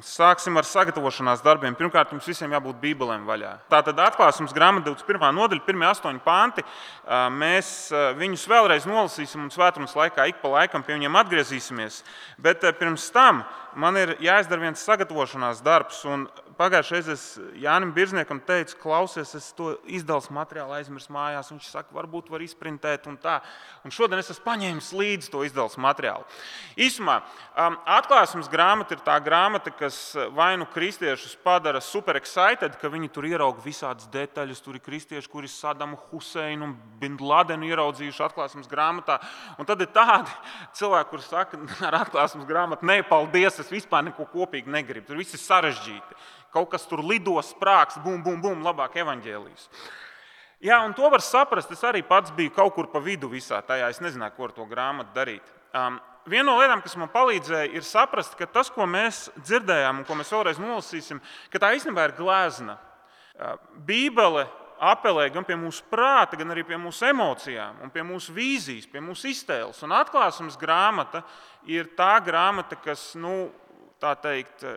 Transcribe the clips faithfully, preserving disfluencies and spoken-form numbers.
Sāksim ar sagatavošanās darbiem. Pirmkārt, jums visiem jābūt bībelēm vaļā. Tātad Atklāsmes grāmata divdesmit pirmā nodaļa, pirmie astoņi panti. Mēs viņus vēlreiz nolasīsim un svētdienas laikā ik pa laikam pie viņiem atgriezīsimies. Bet pirms tam man ir jāizdara viens sagatavošanās darbs. Un pagājušajā reizē es Jānim Birzniekam teicu, klausies, es to izdales materiālu aizmirsu mājās. Viņš saka, varbūt var izprintēt un tā. Un šodien es esmu paņēmis līdzi to izdales materiālu. Īsumā, Atklāsmes grāmata ir tā grāmata, kas vai nu kristiešus padara super excited, ka viņi tur ierauga visādas detaļas. Tur ir kristieši, kuri Sadamu Huseinu un Bin Ladenu ieraudzījuši Atklāsmes grāmatā. Un tad ir tādi cilvēki, kuri saka, ar Atklāsmes grāmatu, nē, paldies, es vispār neko kopīgi negribu. Tur viss ir sarežģīti. Kaut kas tur lido, sprāks, bum, bum, bum, labāk evaņģēlijs. Jā, un to var saprast. Es arī pats biju kaut kur pa vidu visā tajā. Es nezināju, ko ar to grāmatu darīt. Um, Viena no lietām, kas man palīdzēja, ir saprast, ka tas, ko mēs dzirdējām un ko mēs vēlreiz nolasīsim, ka tā īstenībā ir glezna. Bībele apelē gan pie mūsu prāta, gan arī pie mūsu emocijām un pie mūsu vīzijas, pie mūsu iztēles. Un Atklāsmes grāmata ir tā grāmata, kas, nu, tā teikt,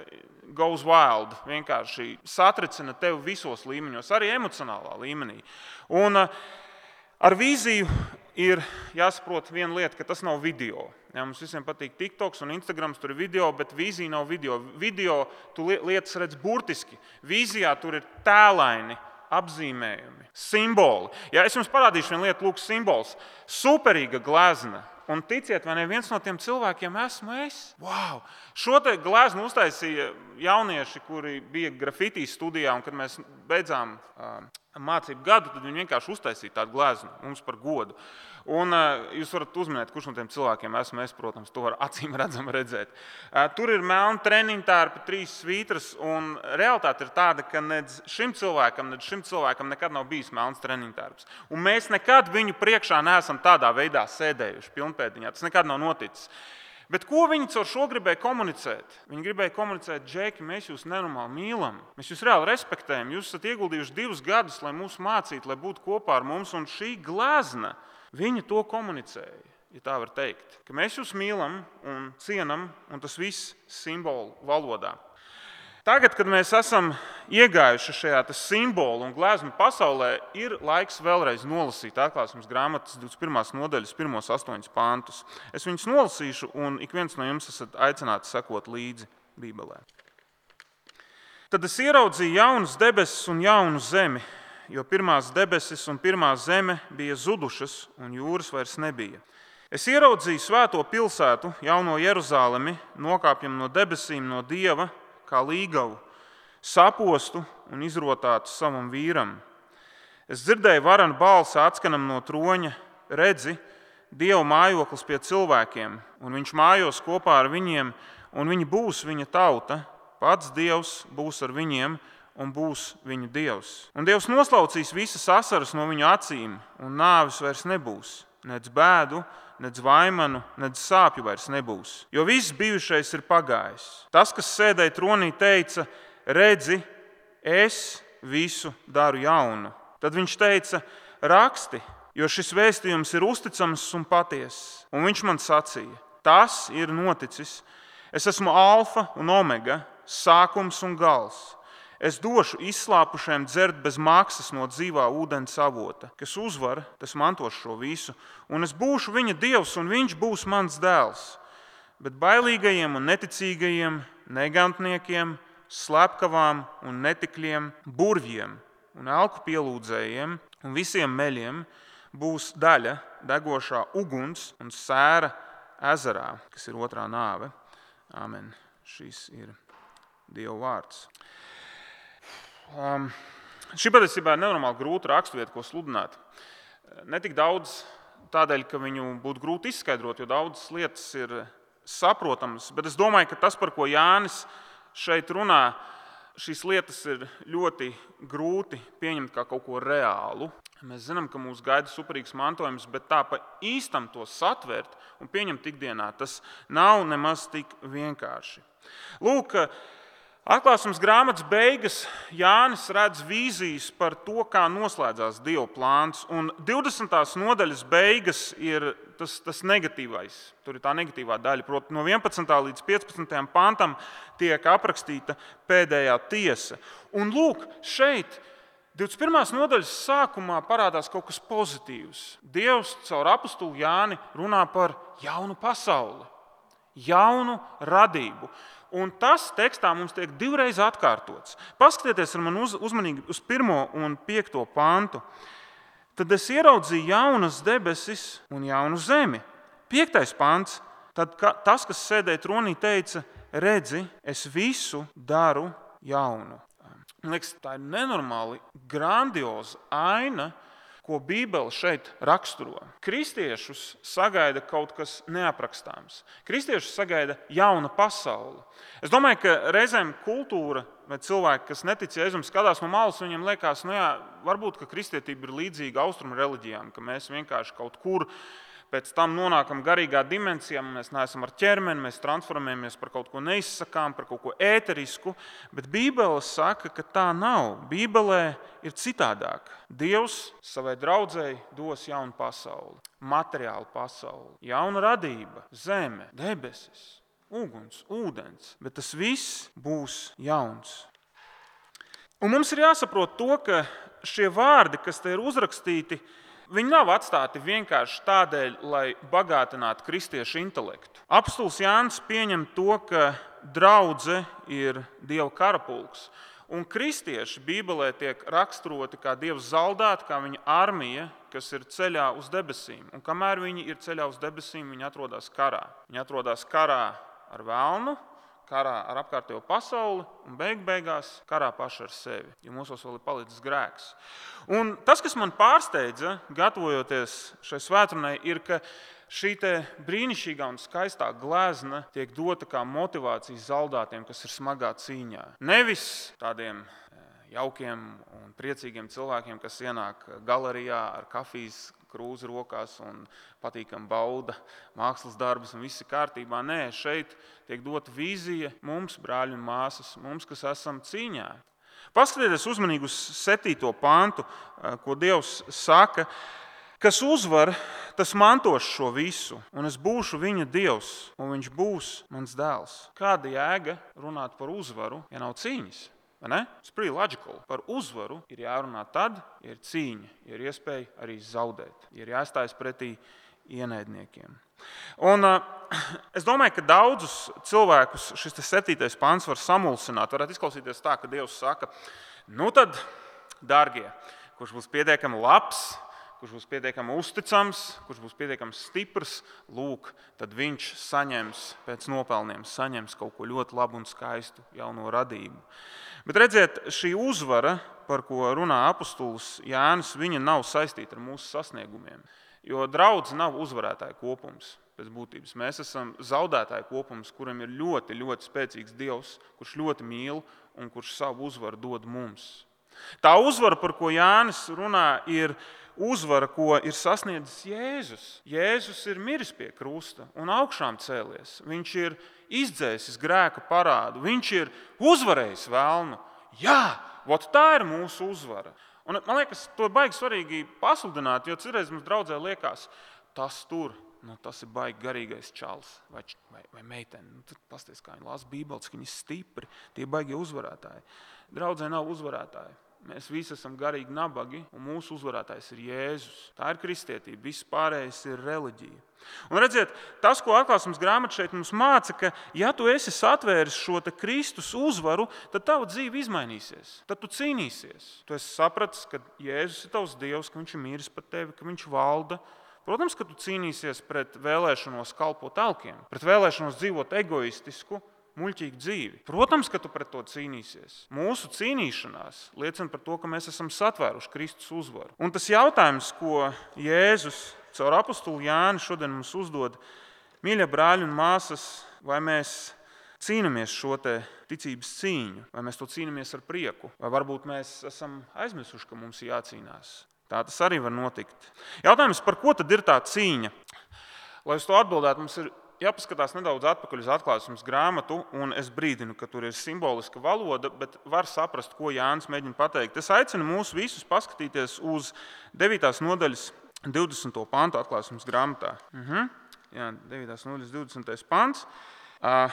goes wild, vienkārši satricina tevi visos līmeņos, arī emocionālā līmenī. Un ar vīziju ir jāsaprot viena lieta, ka tas nav video. Jā, mums visiem patīk TikToks un Instagrams, tur ir video, bet vīzija nav video. Video tu lietas redz burtiski. Vīzijā tur ir tēlaini apzīmējumi, simboli. Jā, es jums parādīšu vienu lietu, lūk, simbols. Superīga glezna. Un ticiet, vai ne, viens no tiem cilvēkiem esmu es. Wow! Šo te gleznu uztaisīja jaunieši, kuri bija grafitī studijā, un kad mēs beidzām uh, mācību gadu, tad viņi vienkārši uztaisīja tādu gleznu mums par godu. Un uh, jūs varat uzminēt, kurš no tiem cilvēkiem esmu es, protams, to var acīm redzam redzēt. Uh, tur ir melna treniņtārpa, trīs svītras, un realitāte ir tāda, ka nedz šim cilvēkam, nedz šim cilvēkam nekad nav bijis melns treniņtārps. Un mēs nekad viņu priekšā neesam tādā veidā sēdējuši pilnpēdiņā. Tas nekad nav noticis. Bet ko viņi caur šo gribēja komunicēt? Viņi gribēja komunicēt, Džeki, mēs jūs nenormāli mīlam, mēs jūs reāli respektējam, jūs esat ieguldījuši divus gadus, lai mūs mācītu, lai būtu kopā ar mums, un šī glezna, viņi to komunicēja, ja tā var teikt, ka mēs jūs mīlam un cienam, un tas viss simbolu valodā. Tagad, kad mēs esam iegājuši šajā simbolu un gleznu pasaulē, ir laiks vēlreiz nolasīt Atklāsmes grāmatas divdesmit pirmās nodaļas pirmos astoņus pantus. Es viņus nolasīšu, un ik viens no jums esat aicināti sekot līdzi Bībelē. Tad es ieraudzīju jaunas debesis un jaunu zemi, jo pirmās debesis un pirmā zeme bija zudušas, un jūras vairs nebija. Es ieraudzīju svēto pilsētu, jauno Jeruzalemi, nokāpjam no debesīm no Dieva, kā līgavu, sapostu un izrotātu savam vīram. Es dzirdēju varanu balsi atskanam no troņa, redzi, Dieva mājoklis pie cilvēkiem, un viņš mājos kopā ar viņiem, un viņi būs viņa tauta, pats Dievs būs ar viņiem, un būs viņu Dievs. Un Dievs noslaucīs visas asaras no viņu acīm, un nāvis vairs nebūs, nec bēdu, nec vaimanu, nec sāpju vairs nebūs, jo viss bijušais ir pagājis. Tas, kas sēdēja tronī, teica, redzi, es visu daru jaunu. Tad viņš teica, raksti, jo šis vēstījums ir uzticams un patiess. Un viņš man sacīja, tas ir noticis. Es esmu alfa un omega, sākums un gals. Es došu izslāpušiem dzert bez maksas no dzīvā ūdens avota. Kas uzvar, tas mantos šo visu. Un es būšu viņa Dievs, un viņš būs mans dēls. Bet bailīgajiem un neticīgajiem, negantniekiem, slepkavām un netikļiem, burvjiem un elku pielūdzējiem un visiem meļiem būs daļa degošā uguns un sēra ezerā, kas ir otrā nāve. Amen. Šis ir Dieva vārds. Um, šī patiesībā ir nenormāli grūta raksturvieta, ko sludināt. Ne tik daudz tādēļ, ka viņu būtu grūti izskaidrot, jo daudzas lietas ir saprotamas, bet es domāju, ka tas, par ko Jānis šeit runā, šīs lietas ir ļoti grūti pieņemt kā kaut ko reālu. Mēs zinām, ka mūs gaida superīgs mantojums, bet tā pa īstam to satvert un pieņemt ikdienā, tas nav nemaz tik vienkārši. Lūk, Atklāsmes grāmatas beigas Jānis redz vīzijas par to, kā noslēdzās Dieva plāns. Un divdesmitās nodaļas beigas ir tas, tas negatīvais. Tur ir tā negatīvā daļa. Proti, no vienpadsmitā līdz piecpadsmitajam pantam tiek aprakstīta pēdējā tiesa. Un lūk, šeit divdesmit pirmās nodaļas sākumā parādās kaut kas pozitīvs. Dievs caur apostulu Jāni runā par jaunu pasauli, jaunu radību. Un tas tekstā mums tiek divreiz atkārtots. Paskatieties ar mani uz, uzmanīgi uz pirmo un piekto pantu. Tad es ieraudzīju jaunas debesis un jaunu zemi. Piektais pants. Tad ka, tas, kas sēdēja tronī, teica, redzi, es visu daru jaunu. Man liekas, tā ir nenormāli grandioza aina, ko Bībele šeit raksturo. Kristiešus sagaida kaut kas neaprakstāms. Kristiešus sagaida jauna pasaule. Es domāju, ka reizēm kultūra vai cilvēki, kas netic Jēzum, skatās no malas, viņiem liekas, nu jā, varbūt, ka kristietība ir līdzīga austrumu reliģijām, ka mēs vienkārši kaut kur pēc tam nonākam garīgā dimensijā, mēs neesam ar ķermeni, mēs transformējamies par kaut ko neizsakām, par kaut ko ēterisku, bet Bībele saka, ka tā nav. Bībelē ir citādāk. Dievs savai draudzei dos jaunu pasauli, materiālu pasauli, jauna radība, zeme, debesis, uguns, ūdens, bet tas viss būs jauns. Un mums ir jāsaprot to, ka šie vārdi, kas te ir uzrakstīti, viņi nav atstāti vienkārši tādēļ, lai bagātinātu kristiešu intelektu. Apostols Jānis pieņem to, ka draudze ir Dieva karapulks, un kristieši Bībelē tiek raksturoti kā Dieva zaldāti, kā viņa armija, kas ir ceļā uz debesīm. Un kamēr viņi ir ceļā uz debesīm, viņi atrodas karā. Viņi atrodas karā ar velnu, karā ar apkārtējo pasauli un beig beigās karā paši ar sevi, jo mūsos vēl ir palicis grēks. Un tas, kas man pārsteidza, gatavojoties šai svētdienai, ir, ka šī te brīnišķīgā un skaistā glezna tiek dota kā motivācija zaldātiem, kas ir smagā cīņā. Nevis tādiem jaukiem un priecīgiem cilvēkiem, kas ienāk galerijā ar kafijas krūzi rokās un patīkam bauda mākslas darbus un viss ir kārtībā. Nē, šeit tiek dota vīzija mums, brāļi un māsas, mums, kas esam cīņā. Paskatieties uzmanīgi uz septīto pantu, ko Dievs saka, kas uzvar, tas mantos šo visu, un es būšu viņa Dievs, un viņš būs mans dēls. Kāda jēga runāt par uzvaru, ja nav cīņas? It's pretty logical. Par uzvaru ir jārunā tad, ja ir cīņa, ja ir iespēja arī zaudēt, ja ir jāstājas pretī ienaidniekiem. Un, uh, es domāju, ka daudzus cilvēkus šis septītais pants var samulsināt. Varētu izklausīties tā, ka Dievs saka, nu tad, dārgie, kurš būs pietiekami labs, kurš būs pietiekami uzticams, kurš būs pietiekami stiprs, lūk, tad viņš saņems pēc nopelniem, saņems kaut ko ļoti labu un skaistu jauno radību. Bet redziet, šī uzvara, par ko runā apostols Jānis, viņa nav saistīta ar mūsu sasniegumiem. Jo draudze nav uzvarētāja kopums pēc būtības. Mēs esam zaudētāja kopums, kuram ir ļoti, ļoti spēcīgs Dievs, kurš ļoti mīl un kurš savu uzvaru dod mums. Tā uzvara, par ko Jānis runā, ir uzvara, ko ir sasniedzis Jēzus. Jēzus ir miris pie krusta un augšām cēlies. Viņš ir izdzēsis grēka parādu. Viņš ir uzvarējis velnu. Jā, vot tā ir mūsu uzvara. Un, man liekas, to ir baigi svarīgi pasludināt, jo citreiz mums draudzē liekas, tas tur, nu, tas ir baigi garīgais čals vai, vai, vai meitene. Nu, tad pasties, kā viņi lasa Bībeli, ka viņi ir stipri, tie baigi uzvarētāji. Draudzē nav uzvarētāji. Mēs visi esam garīgi nabagi, un mūsu uzvarētājs ir Jēzus. Tā ir kristietība, viss pārējais ir reliģija. Un redziet, tas, ko atklāsmes grāmata šeit mums māca, ka ja tu esi satvēris šo te Kristus uzvaru, tad tava dzīve izmainīsies. Tad tu cīnīsies. Tu esi sapratis, ka Jēzus ir tavs Dievs, ka viņš ir mīris par tevi, ka viņš valda. Protams, ka tu cīnīsies pret vēlēšanos kalpot elkiem, pret vēlēšanos dzīvot egoistisku, muļķīgu dzīvi. Protams, ka tu pret to cīnīsies. Mūsu cīnīšanās liecina par to, ka mēs esam satvēruši Kristus uzvaru. Un tas jautājums, ko Jēzus caur apostulu Jāni šodien mums uzdod, mīļie brāļi un māsas, vai mēs cīnāmies šo te ticības cīņu, vai mēs to cīnāmies ar prieku, vai varbūt mēs esam aizmirsuši, ka mums ir jācīnās. Tā tas arī var notikt. Jautājums, par ko tad ir tā cīņa? Lai uz to atbildētu, mums ir jāpaskatās nedaudz atpakaļ uz atklāsmes grāmatu, un es brīdinu, ka tur ir simboliska valoda, bet var saprast, ko Jānis mēģina pateikt. Es aicinu mūs visus paskatīties uz devītās nodaļas divdesmito pantu atklāsmes grāmatā. Mhm. Jā, devītās nodaļas divdesmitais pants. Uh,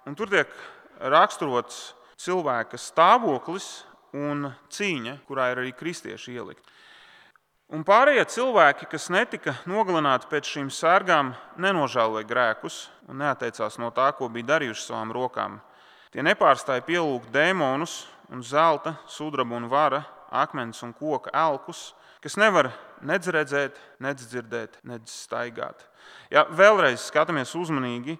un tur tiek raksturots cilvēka stāvoklis un cīņa, kurā ir arī kristieši ielikt. Un pārējie cilvēki, kas netika nogalināti pēc šīm sērgām, nenožēloja grēkus un neatteicās no tā, ko bija darījuši savām rokām. Tie nepārstāja pielūgt dēmonus un zelta, sudraba un vara, akmens un koka elkus, kas nevar nedz redzēt, nedz dzirdēt, nedz staigāt. Ja vēlreiz skatāmies uzmanīgi,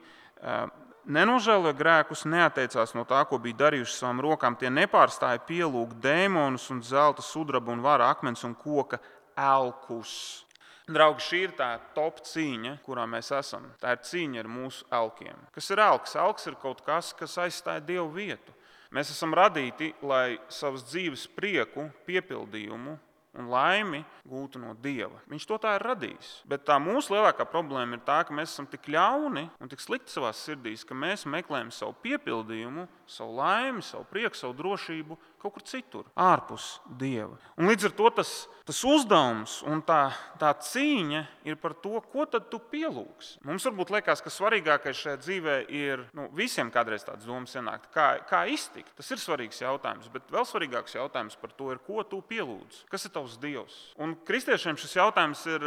nenožēloja grēkus, neatteicās no tā, ko bija darījuši savām rokām. Tie nepārstāja pielūgt dēmonus un zelta, sudraba un vara, akmens un koka elkus. Draugi, šī ir tā top cīņa, kurā mēs esam. Tā ir cīņa ar mūsu elkiem. Kas ir elks? Elks ir kaut kas, kas aizstāja Dievu vietu. Mēs esam radīti, lai savas dzīves prieku, piepildījumu un laimi gūtu no Dieva. Viņš to tā ir radījis. Bet tā mūsu lielākā problēma ir tā, ka mēs esam tik ļauni un tik slikti savās sirdīs, ka mēs meklējam savu piepildījumu, savu laimi, savu prieku, savu drošību kaut kur citur, ārpus Dieva. Un līdz ar to tas, tas uzdevums un tā, tā cīņa ir par to, ko tad tu pielūgsi. Mums varbūt liekas, ka svarīgākais šajā dzīvē ir, nu, visiem kādreiz tāds domas ienākt, kā, kā iztikt. Tas ir svarīgs jautājums, bet vēl svarīgāks jautājums par to ir, ko tu pielūdzi. Kas ir tavs Dievs? Un kristiešiem šis jautājums ir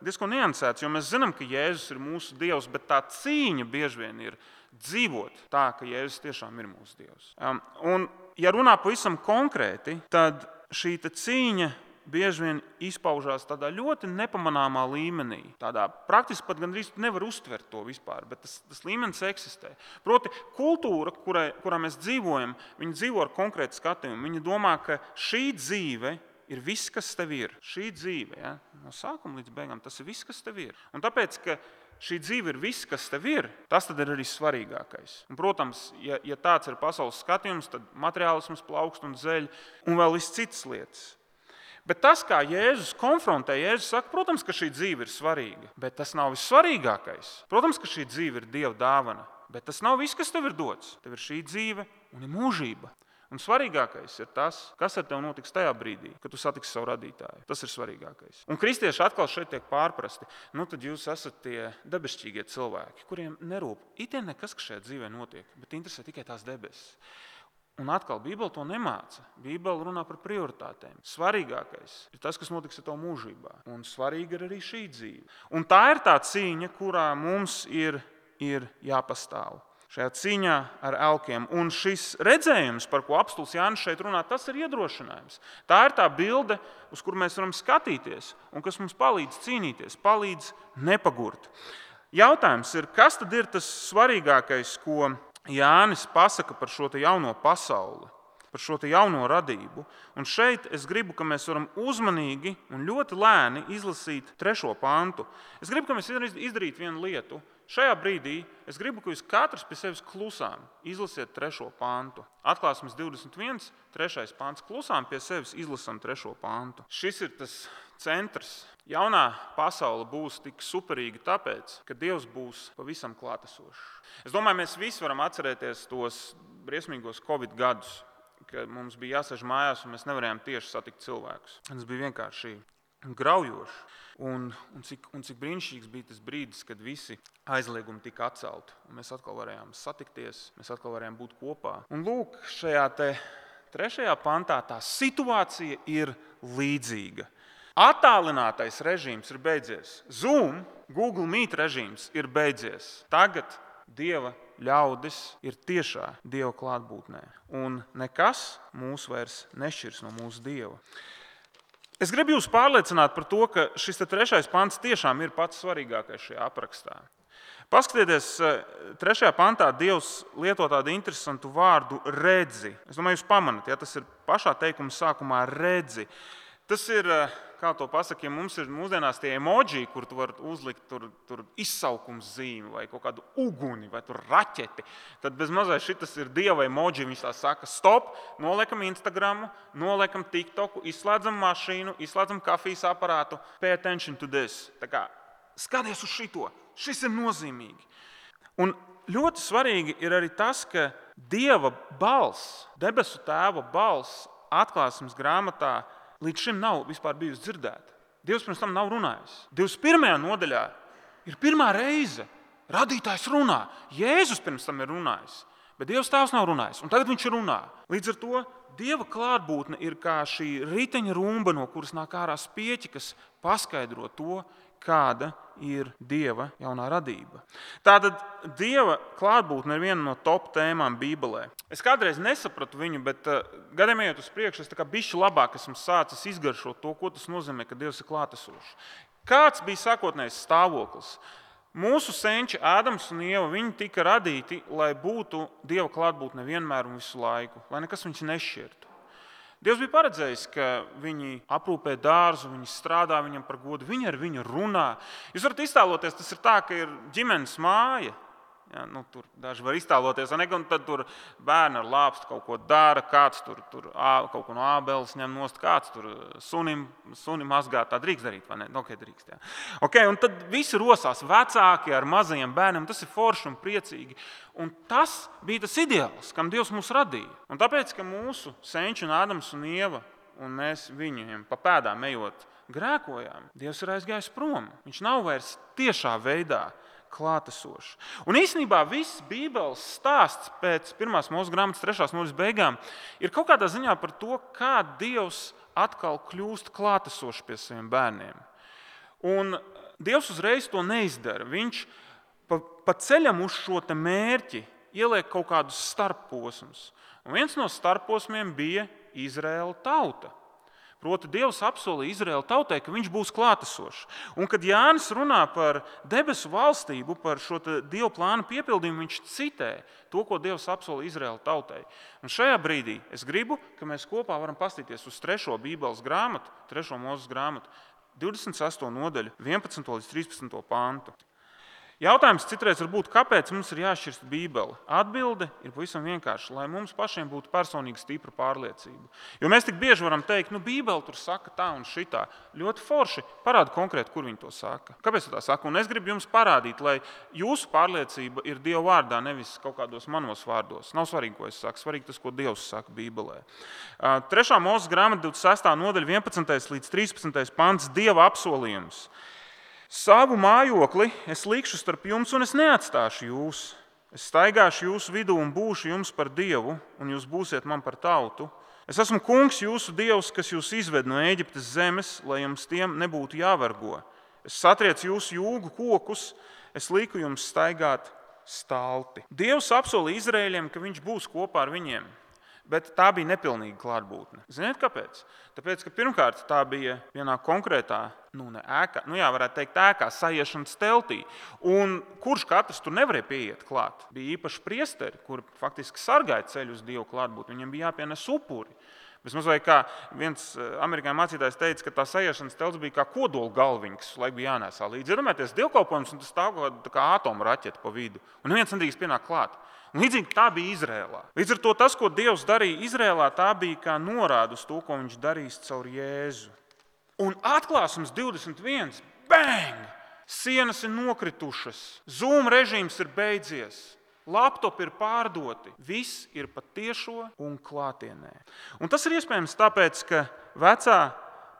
diezgan niansēts, jo mēs zinām, ka Jēzus ir mūsu Dievs, bet tā cīņa bieži vien ir dzīvot tā, ka Jēzus tiešām ir mūsu Dievs. Un, ja runā pavisam konkrēti, tad šī cīņa bieži vien izpaužās tādā ļoti nepamanāmā līmenī. Tādā praktiski pat gandrīz nevar uztvert to vispār, bet tas, tas līmenis eksistē. Proti, kultūra, kurā, kurā mēs dzīvojam, viņi dzīvo ar konkrētu skatījumu. Viņi domā, ka šī dzīve ir viss, kas tev ir. Šī dzīve, ja, no sākuma līdz beigām, tas ir viss, kas tev ir. Un tāpēc, ka šī dzīve ir viss, kas tev ir, tas tad ir arī svarīgākais. Un, protams, ja, ja tāds ir pasaules skatījums, tad materiālisms plaukst un zeļ un vēl viss citas lietas. Bet tas, kā Jēzus konfrontē, Jēzus saka, protams, ka šī dzīve ir svarīga, bet tas nav vissvarīgākais. Protams, ka šī dzīve ir Dieva dāvana, bet tas nav viss, kas tev ir dots. Tev ir šī dzīve un ir mūžība. Un svarīgākais ir tas, kas ar tev notiks tajā brīdī, kad tu satiksi savu radītāju. Tas ir svarīgākais. Un kristieši atkal šeit tiek pārprasti. Nu, tad jūs esat tie debesšķīgie cilvēki, kuriem nerūp itien nekas, kas šajā dzīvē notiek, bet interesē tikai tās debesis. Un atkal Bībele to nemāca. Bībele runā par prioritātēm. Svarīgākais ir tas, kas notiks ar tev mūžībā. Un svarīga ir arī šī dzīve. Un tā ir tā cīņa, kurā mums ir, ir jāpastāv. Šajā cīņā ar elkiem. Un šis redzējums, par ko apstulis Jānis šeit runā, tas ir iedrošinājums. Tā ir tā bilde, uz kuru mēs varam skatīties un kas mums palīdz cīnīties, palīdz nepagurt. Jautājums ir, kas tad ir tas svarīgākais, ko Jānis pasaka par šo te jauno pasauli, par šo te jauno radību. Un šeit es gribu, ka mēs varam uzmanīgi un ļoti lēni izlasīt trešo pantu. Es gribu, ka mēs izdarītu vienu lietu. Šajā brīdī es gribu, ka jūs katrs pie sevis klusām izlasiet trešo pantu. Atklāsmes divdesmit viens, trešais pants. Klusām pie sevis izlasam trešo pantu. Šis ir tas centrs. Jaunā pasaule būs tik superīga tāpēc, ka Dievs būs pavisam klātesošs. Es domāju, mēs visi varam atcerēties tos briesmīgos Covid gadus, kad mums bija jāsēž mājās un mēs nevarējām tieši satikt cilvēkus. Tas bija vienkārši graujoši. Un, un, cik, un cik brīnišķīgs bija tas brīdis, kad visi aizliegumi tika atcelti. Un mēs atkal varējām satikties, mēs atkal varējām būt kopā. Un lūk, šajā te trešajā pantā tā situācija ir līdzīga. Attālinātais režīms ir beidzies. Zoom, Google Meet režīms ir beidzies. Tagad Dieva ļaudis ir tiešā Dieva klātbūtnē. Un nekas mūs vairs nešķirs no mūsu Dieva. Es gribu jūs pārliecināt par to, ka šis trešais pants tiešām ir pats svarīgākais šajā aprakstā. Paskatieties, trešajā pantā Dievs lieto tādu interesantu vārdu redzi. Es domāju, jūs pamanat, ja tas ir pašā teikuma sākumā redzi. Tas ir, kā to pasaka, ja mums ir mūsdienās tie emoji, kur tu vari uzlikt tur, tur izsaukums zīmi vai kaut kādu uguni vai tur raķeti, tad bez mazais šitas ir Dieva emoji. Viņš tā saka, stop, noliekam Instagramu, noliekam TikToku, izslēdzam mašīnu, izslēdzam kafijas aparātu, pay attention to this. Tā kā skaties uz šito, šis ir nozīmīgi. Un ļoti svarīgi ir arī tas, ka Dieva balss, debesu Tēva balss atklāsmes grāmatā līdz šim nav vispār bijusi dzirdēta. Dievs pirms tam nav runājis. divdesmit pirmajā nodaļā ir pirmā reize radītājs runā. Jēzus pirms tam ir runājis, bet Dievs Tēvs nav runājis, un tagad viņš runā. Līdz ar to Dieva klātbūtne ir kā šī riteņa rumba, no kuras nāk ārā spieķi, kas paskaidro to, kāda ir Dieva jaunā radība. Tātad Dieva klātbūtne ir viena no top tēmām Bībelē. Es kādreiz nesapratu viņu, bet uh, gadiem ejot uz priekšu, es tā kā bišķi labāk esmu sācis izgaršot to, ko tas nozīmē, ka Dievs ir klātesošs. Kāds bija sākotnējs stāvoklis? Mūsu senči Ādams un Ieva, viņi tika radīti, lai būtu Dieva klātbūtne vienmēr un visu laiku, lai nekas viņus nešķirtu. Dievs bija paredzējis, ka viņi aprūpē dārzu, viņi strādā viņam par godu, viņi ar viņu runā. Jūs varat iztēloties, tas ir tā, ka ir ģimenes māja. Ja, nu, tur daži var iztēloties, ne, un tad tur bērni ar lāpstu kaut ko dara, kāds tur, tur kaut ko no ābeles ņem nost, kāds tur sunim, sunim mazgā. Tā drīkst darīt, vai ne? Ok, drīkst, jā. Okay, un tad visi rosās vecāki ar mazajiem bērniem, tas ir forši un priecīgi. Un tas bija tas ideāls, kam Dievs mūs radīja. Un tāpēc, ka mūsu senči un Ādams un Ieva, un mēs viņiem pa pēdām ejot grēkojām, Dievs ir aizgājis prom. Viņš nav vairs tiešā veidā klātesošs. Un īstenībā viss Bībeles stāsts pēc pirmās Mūzes grāmatas trešās nodaļas beigām ir kaut kādā ziņā par to, kā Dievs atkal kļūst klātesošs pie saviem bērniem. Un Dievs uzreiz to neizdara. Viņš pa, pa ceļam uz šo te mērķi ieliek kaut kādus starpposmus. Un viens no starpposmiem bija Izraēla tauta. Proti, Dievs apsolīja Izraēla tautai, ka viņš būs klātesošs. Un, kad Jānis runā par debesu valstību, par šo Dieva plānu piepildījumu, viņš citē to, ko Dievs apsolīja Izraēla tautai. Un šajā brīdī es gribu, ka mēs kopā varam paskatīties uz trešo Bībeles grāmatu, trešo Mūzes grāmatu, divdesmit sesto nodaļu, vienpadsmito līdz trīspadsmito pantu. Jautājums citreiz var būt, kāpēc mums ir jāšķirst Bībeli? Atbilde ir pavisam vienkārši, lai mums pašiem būtu personīgi stipra pārliecība. Jo mēs tik bieži varam teikt, nu Bībeli tur saka tā un šitā. Ļoti forši, parāda konkrēti, kur viņi to saka. Kāpēc tā saka? Un es gribu jums parādīt, lai jūsu pārliecība ir Dieva vārdā, nevis kaut kādos manos vārdos. Nav svarīgi, ko es saku, svarīgi tas, ko Dievs saka Bībelē. Trešā Mūzes grāmata divdesmit sestā nodaļa, vienpadsmitais līdz trīspadsmitais pants, Dieva apsolījums. Savu mājokli es likšu starp jums, un es neatstāšu jūs. Es staigāšu jūsu vidū un būšu jums par Dievu, un jūs būsiet man par tautu. Es esmu kungs jūsu Dievs, kas jūs izved no Ēģiptes zemes, lai jums tiem nebūtu jāvergo. Es satriecu jūsu jūgu kokus, es liku jums staigāt stalti. Dievs apsolīja Izraēļiem, ka viņš būs kopā ar viņiem. Bet tā bija nepilnīga klātbūtne. Ziniet, kāpēc? Tāpēc, ka pirmkārt tā bija vienā konkrētā, nu ne ēkā, nu jā, varētu teikt ēkā, saiešanas teltī. Un kurš katrs tur nevarēja pieiet klāt? Bija īpaši priesteri, kuri faktiski sargāja ceļu uz Dievu klātbūtni. Viņiem bija jāpienes upuri. Vismaz vai kā viens amerikāņu mācītājs teica, ka tā saiešanas telts bija kā kodola galviņa, kas laik bija jānēsā līdzi. Iedomājieties dievkalpojums, un tas stāv kā atomu raķete pa vidu. Un neviens nedrīkst pienākt klāt. Un līdzīgi tā bija Izrēlā. Līdz ar to tas, ko Dievs darīja Izrēlā, tā bija kā norāda uz to, ko viņš darīs caur Jēzu. Un atklāsums divdesmit viens, bang! Sienas ir nokritušas, Zoom režīms ir beidzies, laptopi ir pārdoti, viss ir patiešo un klātienē. Un tas ir iespējams tāpēc, ka vecā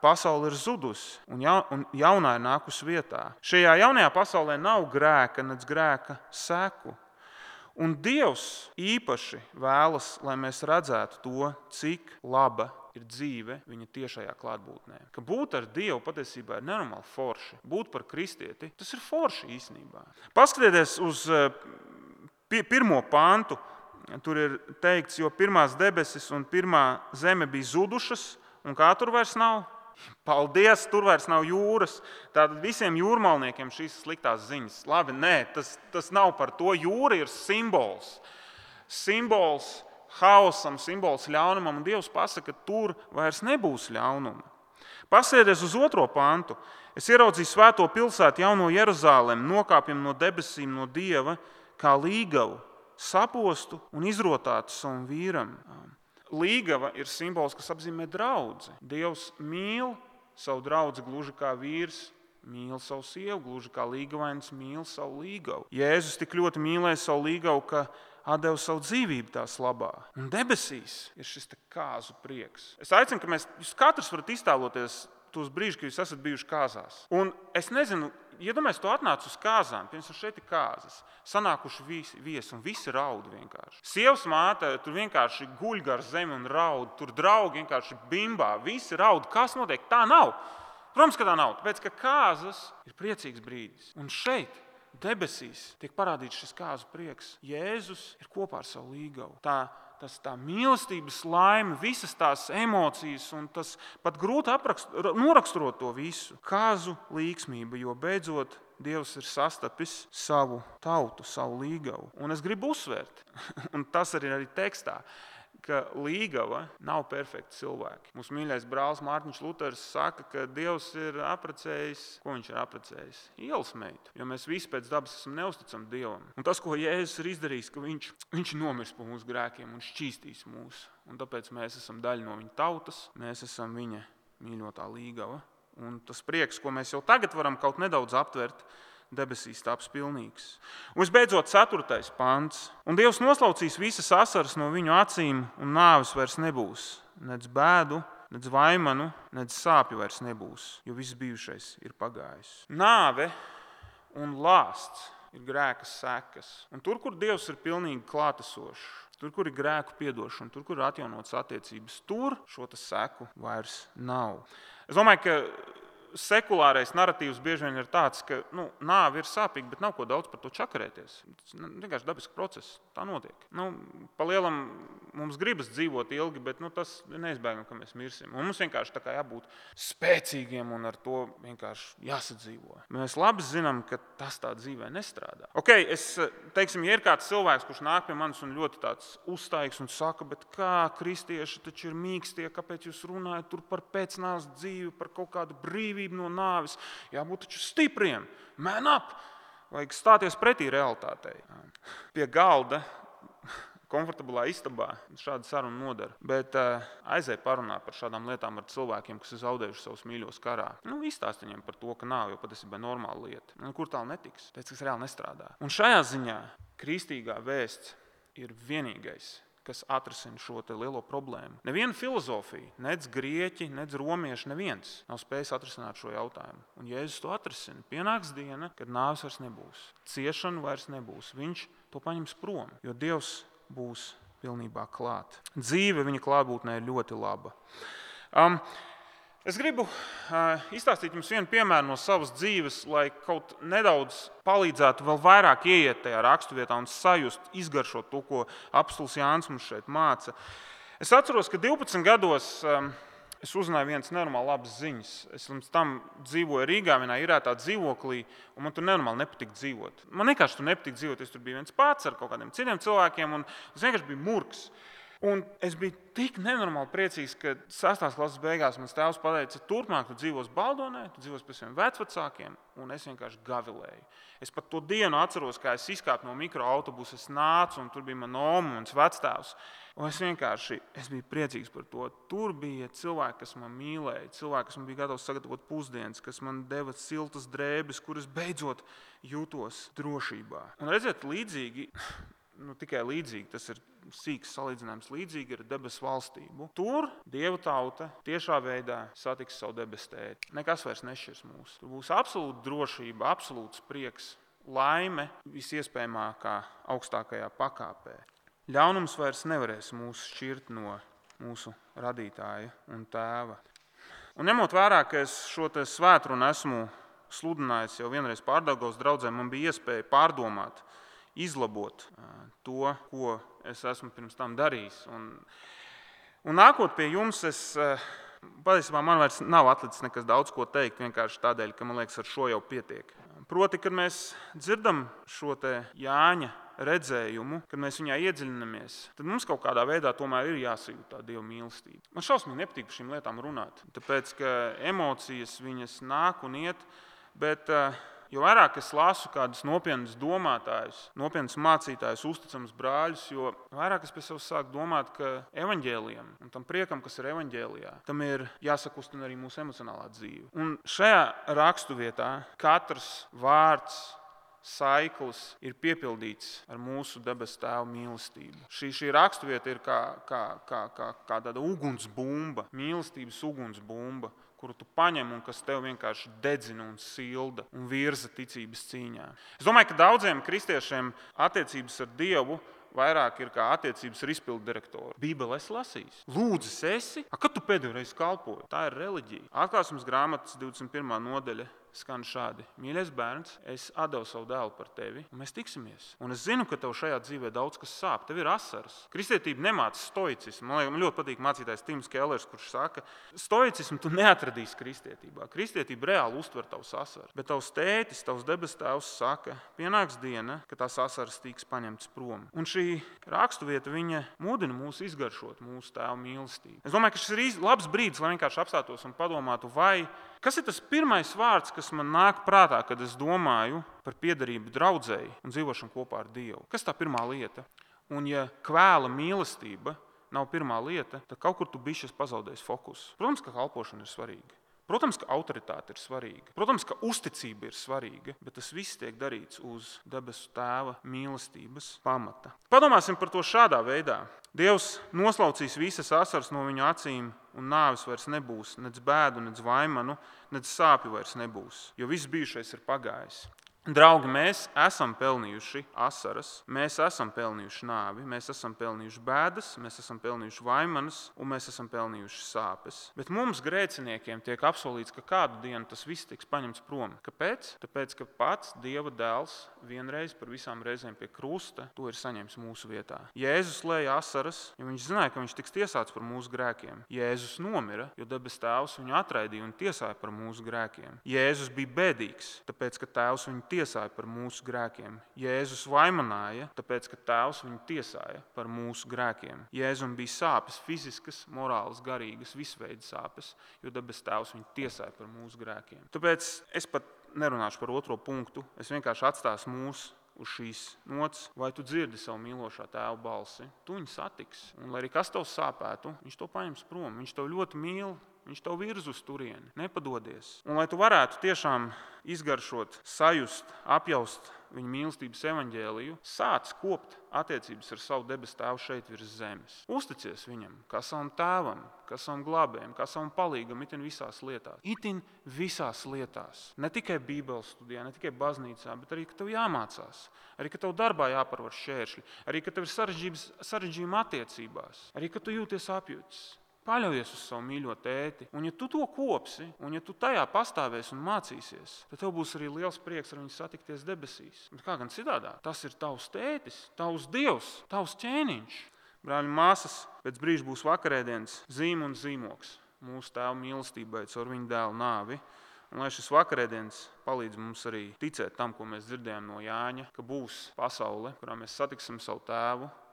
pasaule ir zudusi un jaunā ir nākusi vietā. Šajā jaunajā pasaulē nav grēka, nec grēka seku. Un Dievs īpaši vēlas, lai mēs redzētu to, cik laba ir dzīve viņa tiešajā klātbūtnē. Ka būt ar Dievu patiesībā ir nenormāli forši. Būt par kristieti, tas ir forši īstenībā. Paskatieties uz pirmo pantu. Tur ir teikts, jo pirmās debesis un pirmā zeme bija zudušas, un kā tur vairs nav? Paldies, tur vairs nav jūras. Tātad visiem jūrmalniekiem šīs sliktās ziņas. Labi, nē, tas, tas nav par to. Jūra ir simbols. Simbols haosam, simbols ļaunumam, un Dievs pasaka, ka tur vairs nebūs ļaunuma. Pasēties uz otro pantu. Es ieraudzīju svēto pilsētu jauno Jeruzālemi, nokāpjam no debesīm no Dieva, kā līgavu, sapostu un izrotātu savam vīram. Līgava ir simbols, kas apzīmē draudzi. Dievs mīl savu draudzi gluži kā vīrs mīl savu sievu, gluži kā līgavainis mīl savu līgavu. Jēzus tik ļoti mīlēja savu līgavu, ka atdeva savu dzīvību tās labā. Un debesīs ir šis te kāzu prieks. Es aicinu, ka mēs, jūs katrs varat iztēloties tos brīžus, kad jūs esat bijuši kāzās. Un es nezinu, iedomājies, tu atnāc uz kāzām, piemēram, šeit ir kāzas, sanākuši visi, viesi un visi raud vienkārši. Sievas māte tur vienkārši guļ gar zemi un raud, tur draugi vienkārši bimbā, visi raud. Kas notiek? Tā nav. Protams, ka tā nav, tāpēc, ka kāzas ir priecīgs brīdis. Un šeit, debesīs, tiek parādīts šis kāzu prieks. Jēzus ir kopā ar savu līgavu. Tā, tas, tā mīlestības laime, visas tās emocijas, un tas pat grūti aprakst, noraksturot to visu. Kāzu līgsmība, jo beidzot Dievs ir sastapis savu tautu, savu līgavu. Un es gribu uzsvērt, un tas arī ir tekstā, ka līgava nav perfekti cilvēki. Mūsu mīļais brālis Mārtiņš Luters saka, ka Dievs ir apprecējis, ko viņš ir apprecējis? Ielas meitu, jo mēs visi pēc dabas esam neusticami Dievam. Un tas, ko Jēzus ir izdarījis, ka viņš, viņš nomirs par mūsu grēkiem un šķīstīs mūs. Un tāpēc mēs esam daļa no viņa tautas, mēs esam viņa mīļotā līgava. Un tas prieks, ko mēs jau tagad varam kaut nedaudz aptvert, debesīs taps pilnīgs. Un visbeidzot, ceturtais pants. Un Dievs noslaucīs visas asaras no viņu acīm, un nāves vairs nebūs. Nec bēdu, nec vaimanu, nec sāpju vairs nebūs, jo viss bijušais ir pagājis. Nāve un lāsts ir grēka sekas. Un tur, kur Dievs ir pilnīgi klātesošs, tur, kur ir grēku piedošana, tur, kur ir atjaunotas attiecības, tur šo seku vairs nav. Es domāju, ka sekulārais narratīvs bieži vien ir tāds, ka nu, nāve ir sāpīga, bet nav ko daudz par to čakarēties. Tas vienkārši dabisks process. Tā notiek. Nu, pa lielam mums gribas dzīvot ilgi, bet nu, tas neizbēgami, ka mēs mirsim. Un mums vienkārši tā kā jābūt spēcīgiem un ar to vienkārši jāsadzīvo. Mēs labi zinām, ka tas tā dzīvē nestrādā. Ok, es, teiksim, ja ir kāds cilvēks, kurš nāk pie manis un ļoti tāds uzstaigs un saka, bet kā kristieši taču ir mīkstie, kāpēc jūs runājat tur par pēcnāves dzīvi, par kaut kādu brīvību no nāves, jābūt taču stipriem, man up, vajag stāties pretī realitātei. Pie galda, komfortablā istabā šāda saruna nodara, bet uh, aizēj parunā par šādām lietām ar cilvēkiem, kas ir zaudējuši savus mīļos karā. Nu, izstāst viņiem par to, ka nav jau patiesībā normāla lieta. Nu, kur tālu netiks, pēc kas reāli nestrādā. Un šajā ziņā kristīgā vēsts ir vienīgais, kas atrisina šo te lielo problēmu. Neviena filozofija, nec grieķi, nec romieši, neviens nav spējis atrisināt šo jautājumu. Un Jēzus to atrisina. Pienāks diena, kad nāves vairs nebūs, ciešana vairs nebūs. Viņš to paņems prom, jo Dievs būs pilnībā klāt. Dzīve viņa klātbūtnē ir ļoti laba. Um, Es gribu uh, izstāstīt jums vienu piemēru no savas dzīves, lai kaut nedaudz palīdzētu vēl vairāk ieiet tajā raksturvietā un sajust, izgaršot to, ko apostols Jānis mums šeit māca. Es atceros, ka divpadsmit gados um, es uzzināju vienas nenormāli labas ziņas. Es līdz tam dzīvoju Rīgā, vienā īrētā dzīvoklī, un man tur nenormāli nepatika dzīvot. Man vienkārši tur nepatika dzīvot, es tur biju viens pats ar kaut kādiem citiem cilvēkiem, un es vienkārši biju murgs. Un es biju tik nenormāli priecīgs, ka sastās klases beigās mans tēvs pateica, turpmāk tu dzīvos Baldonē, tu dzīvos pie saviem vecvecākiem, un es vienkārši gavilēju. Es pat to dienu atceros, kā es izkāpu no mikroautobusa, es nācu, un tur bija mana oma un mans vectēvs. Un es vienkārši es biju priecīgs par to. Tur bija cilvēki, kas man mīlēja, cilvēki, kas man bija gatavs sagatavot pusdienas, kas man deva siltas drēbes, kuras beidzot jūtos drošībā. Un redziet, līdzīgi, nu tikai līdzīgi, tas ir sīks salīdzinājums, līdzīgi ar debesu valstību. Tur Dieva tauta tiešā veidā satiks savu debesu tēti. Nekas vairs nešķirs mūs. Tur būs absolūta drošība, absolūts prieks, laime visiespējamākā augstākajā pakāpē. Ļaunums vairs nevarēs mūs šķirt no mūsu radītāja un tēva. Un ņemot vērā, ka es šo te svētrunu esmu sludinājis jau vienreiz Pārdaugavas draudzē, man bija iespēja pārdomāt, izlabot to, ko es esmu pirms tam darījis. Un, un nākot pie jums, es, patiesībā man vairs nav atlicis nekas daudz ko teikt, vienkārši tādēļ, ka man liekas, ar šo jau pietiek. Proti, kad mēs dzirdam šo te Jāņa redzējumu, kad mēs viņā iedziļinamies, tad mums kaut kādā veidā tomēr ir jāsajūt tā Dieva mīlestība. Man šausmīgi nepatīk par šīm lietām runāt, tāpēc, ka emocijas viņas nāk un iet, bet jo vairāk es lasu kādus nopietnus domātājus, nopietnus mācītājus, uzticamus brāļus, jo vairāk es pie sevis sāku domāt, ka evaņģēlijam un tam priekam, kas ir evaņģēlijā, tam ir jāsakustina arī mūsu emocionālā dzīve. Un šajā raksturvietā katrs vārds, saiklis ir piepildīts ar mūsu debesu Tēva mīlestību. Šī, šī raksturvieta ir kā, kā, kā, kā, kā tāda ugunsbumba, mīlestības ugunsbumba, kuru tu paņem un kas tev vienkārši dedzina un silda un virza ticības cīņā. Es domāju, ka daudziem kristiešiem attiecības ar Dievu vairāk ir kā attiecības ar izpildu direktoru. Bībeli esi lasījis. Lūdzis esi? A, kad tu pēdējo reizi kalpoji? Tā ir reliģija. Atklāsmes grāmatas divdesmit pirmā nodaļa skan šādi. Mīļais bērns, es atdevu savu dēlu par tevi, un mēs tiksimies. Un es zinu, ka tev šajā dzīvē daudz kas sāp. Tev ir asaras. Kristietība nemāca stoicismu. Man, man ļoti patīk mācītājs Tims Kellers, kurš saka, stoicismu tu neatradīsi kristietībā. Kristietība reāli uztver tavus asaras. Bet tavs tētis, tavs debes tēvs saka, pienāks diena, ka tās asaras tiks paņemtas prom. Un šī raksturvieta, viņa mudina mūs izgaršot mūsu Tēva mīlestību. Es domāju, ka šis ir labs brīdis, lai vienkārši apstātos un padomātu, vai kas ir tas pirmais vārds, kas man nāk prātā, kad es domāju par piederību draudzei un dzīvošanu kopā ar Dievu? Kas tā pirmā lieta? Un ja kvēla mīlestība nav pirmā lieta, tad kaut kur tu bišķi pazaudēsi fokusu. Protams, ka kalpošana ir svarīga. Protams, ka autoritāte ir svarīga. Protams, ka uzticība ir svarīga, bet tas viss tiek darīts uz debesu Tēva mīlestības pamata. Padomāsim par to šādā veidā. Dievs noslaucīs visas asaras no viņu acīm, un nāves vairs nebūs, nec bēdu, nec vaimanu, nec sāpju vairs nebūs, jo viss bijušais ir pagājis. Draugi, mēs esam pelnījuši asaras, mēs esam pelnījuši nāvi, mēs esam pelnījuši bēdas, mēs esam pelnījuši vaimanas un mēs esam pelnījuši sāpes. Bet mums, grēciniekiem, tiek apsolīts, ka kādu dienu tas viss tiks paņemts prom. Kāpēc? Tāpēc, ka pats Dieva dēls vienreiz par visām reizēm pie krusta to ir saņēmis mūsu vietā. Jēzus lēja asaras, jo viņš zināja, ka viņš tiks tiesāts par mūsu grēkiem. Jēzus nomira, jo debes Tēvs viņu atraidīja un tiesāja par mūsu grēkiem. Jēzus bija bēdīgs, tāpēc, ka Tēvs viņu tiesāja par mūsu grēkiem. Jēzus vaimanāja, tāpēc, ka Tēvs viņu tiesāja par mūsu grēkiem. Jēzum bija sāpes, fiziskas, morālas, garīgas, visveida sāpes, jo debes Tēvs viņu tiesāja par mūsu grēkiem. Tāpēc es pat nerunāšu par otro punktu, es vienkārši atstāšu mūs uz šīs nots, vai tu dzirdi savu mīlošā Tēva balsi. Tu viņu satiksi, un lai arī kas tev sāpētu, viņš to paņems prom. Viņš tev ļoti mīl, viņš tev virz uz turieni, nepadodies. Un lai tu varētu tiešām izgaršot, sajust, apjaust viņa mīlestības evaņģēliju, sāc kopt attiecības ar savu debesu Tēvu šeit virs zemes. Uzticies viņam, kā savam tēvam, kā savam glābējam, kā savam palīgam, itin visās lietās. Itin visās lietās. Ne tikai Bībeles studijā, ne tikai baznīcā, bet arī, ka tev jāmācās. Arī, ka tev darbā jāparvar šķēršļi. Arī, ka tev ir sarežģījumi attiecībās. Arī, ka tu jūties apjūts. Paļaujies uz savu mīļo tēti, un ja tu to kopsi, un ja tu tajā pastāvēsi un mācīsies, tad tev būs arī liels prieks ar viņu satikties debesīs. Bet kā gan citādā? Tas ir tavs tētis, tavs Dievs, tavs ķēniņš. Brāļi, māsas, pēc brīža būs vakarēdienas zīme un zīmoks mūsu Tēva mīlestībai caur viņa dēla nāvi. Un lai šis vakarēdienas palīdz mums arī ticēt tam, ko mēs dzirdējām no Jāņa, ka būs pasaule, kurā mēs satiksim savu Tēvu,